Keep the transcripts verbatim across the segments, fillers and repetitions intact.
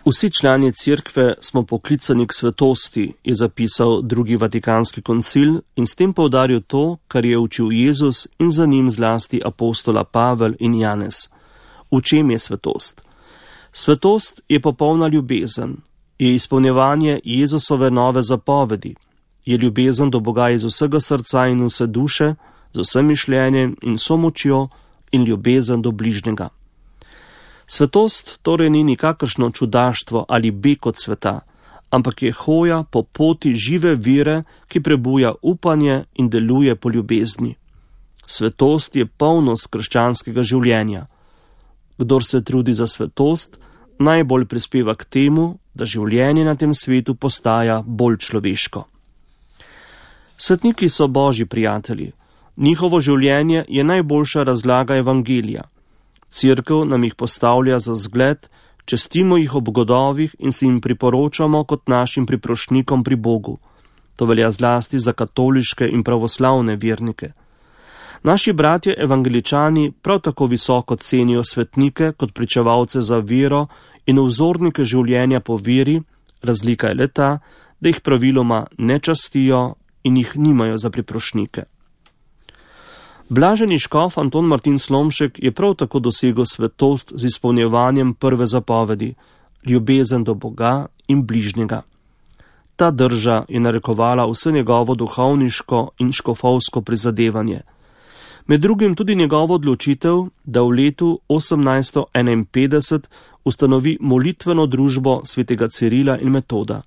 Vsi člani cerkve smo poklicani k svetosti, je zapisal drugi vatikanski koncil in s tem poudaril to, kar je učil Jezus in za njim zlasti apostola Pavel in Janez. V čem je svetost? Svetost je popolna ljubezen, je izpolnjevanje Jezusove nove zapovedi, je ljubezen do Boga iz vsega srca in vse duše, z vsem mišljenjem in vso močjo in ljubezen do bližnjega. Svetost torej ni nikakršno čudaštvo ali beg od sveta, ampak je hoja po poti žive vire, ki prebuja upanje in deluje po ljubezni. Svetost je polnost krščanskega življenja. Kdor se trudi za svetost, najbolj prispeva k temu, da življenje na tem svetu postaja bolj človeško. Svetniki so Božji prijatelji. Njihovo življenje je najboljša razlaga evangelija. Cerkev nam jih postavlja za zgled, čestimo jih ob godovih in se jim priporočamo kot našim priprošnjikom pri Bogu. To velja zlasti za katoliške in pravoslavne vernike. Naši bratje evangeličani prav tako visoko cenijo svetnike kot pričevalce za vero in vzornike življenja po veri, razlika je le ta, da jih praviloma ne častijo in jih nimajo za priprošnjike. Blaženi škof Anton Martin Slomšek je prav tako dosegel svetost z izpolnjevanjem prve zapovedi, ljubezen do Boga in bližnjega. Ta drža je narekovala vse njegovo duhovniško in škofovsko prizadevanje. Med drugim tudi njegovo odločitev, da v letu osemnajststo enainpetdeset ustanovi molitveno družbo svetega Cirila in Metoda.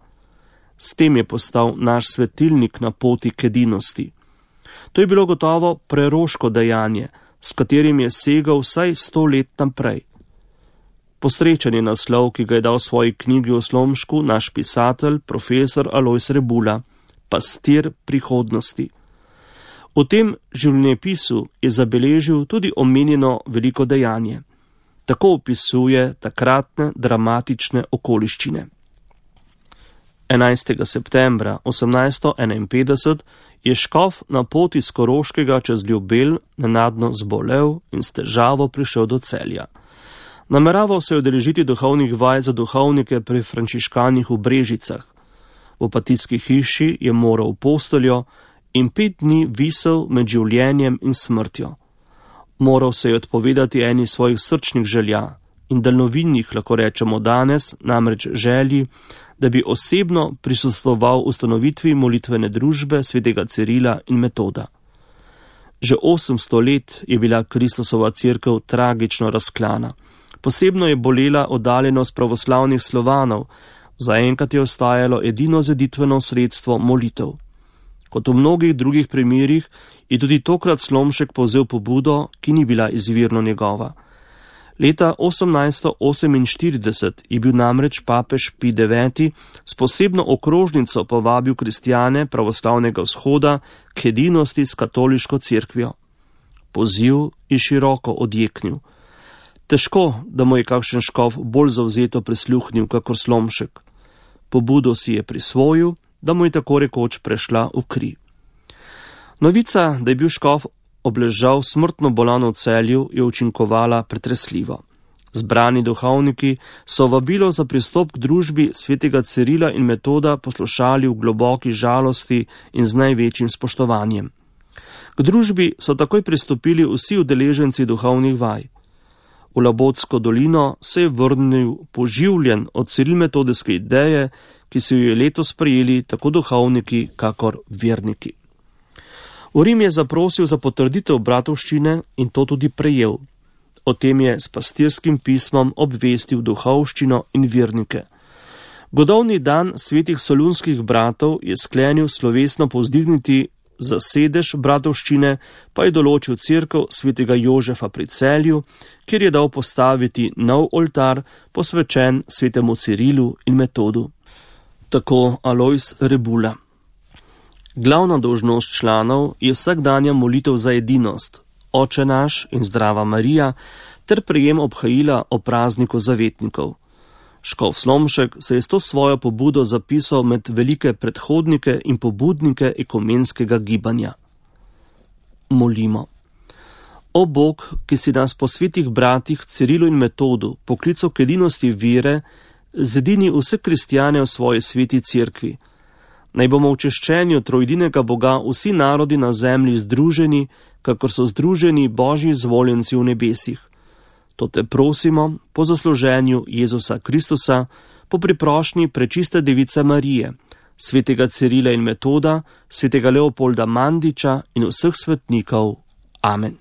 S tem je postal naš svetilnik na poti k edinosti. To je bilo gotovo preroško dejanje, s katerim je segal vsaj sto let naprej. Posrečen je naslov, ki ga je dal v svoji knjigi o Slomšku naš pisatelj, profesor Alojz Rebula, Pastir prihodnosti. V tem življenjepisu je zabeležil tudi omenjeno veliko dejanje. Tako opisuje takratne dramatične okoliščine. enajstega septembra osemnajststo enainpetdeset je škof na poti z Koroškega čez Ljubelj nenadno zbolel in s težavo prišel do Celja. Nameraval se je udeležiti duhovnih vaj za duhovnike pri frančiškanih v Brežicah. V opatijski hiši je moral v posteljo in pet dni visel med življenjem in smrtjo. Moral se je odpovedati eni svojih srčnih želja in daljnovidnih, lahko rečemo danes, namreč želji, da bi osebno prisostvoval ustanovitvi molitvene družbe svetega Cirila in Metoda. Že osemsto let je bila Kristusova cerkev tragično razklana. Posebno je bolela oddaljenost pravoslavnih Slovanov, zaenkrat je ostajalo edino zeditveno sredstvo molitev. Kot v mnogih drugih primerih je tudi tokrat Slomšek povzel pobudo, ki ni bila izvirno njegova. Leta osemnajststo oseminštirideset je bil namreč papež Pij deveti s posebno okrožnico povabil kristjane pravoslavnega vzhoda k edinosti s katoliško cerkvijo. Poziv je široko odjeknil. Težko, da mu je kakšen škof bolj zavzeto prisluhnil kakor Slomšek. Pobudo si je prisvojil, da mu je tako rekoč prešla v kri. Novica, da je bil škof obležal smrtno bolan v Celju, je učinkovala pretresljivo. Zbrani duhovniki so vabilo za pristop k družbi svetega Cirila in Metoda poslušali v globoki žalosti in z največjim spoštovanjem. K družbi so takoj pristopili vsi udeleženci duhovnih vaj. V Labotsko dolino se je vrnil poživljen od cirilmetodijske ideje, ki so jo letos sprejeli tako duhovniki kakor verniki. V Rim je zaprosil za potrditev bratovščine in to tudi prejel. O tem je s pastirskim pismom obvestil duhovščino in vernike. Godovni dan svetih solunskih bratov je sklenil slovesno povzdigniti za sedež bratovščine, pa je določil cerkev svetega Jožefa pri Celju, kjer je dal postaviti nov oltar, posvečen svetemu Cirilu in Metodu. Tako Alojz Rebula. Glavna dolžnost članov je vsakdanja molitev za edinost, Oče naš in Zdrava Marija, ter prejem obhajila o prazniku zavetnikov. Škof Slomšek se je s to svojo pobudo zapisal med velike predhodnike in pobudnike ekumenskega gibanja. Molimo. O Bog, ki si nas po svetih bratih Cirilu in Metodu poklical k edinosti vere, zedini vse kristjane v svoji sveti cerkvi. Naj bomo v češčenju trojedinega Boga vsi narodi na zemlji združeni, kakor so združeni Božji izvoljenci v nebesih. To te prosimo po zasluženju Jezusa Kristusa, po priprošnji prečiste device Marije, svetega Cirila in Metoda, svetega Leopolda Mandiča in vseh svetnikov. Amen.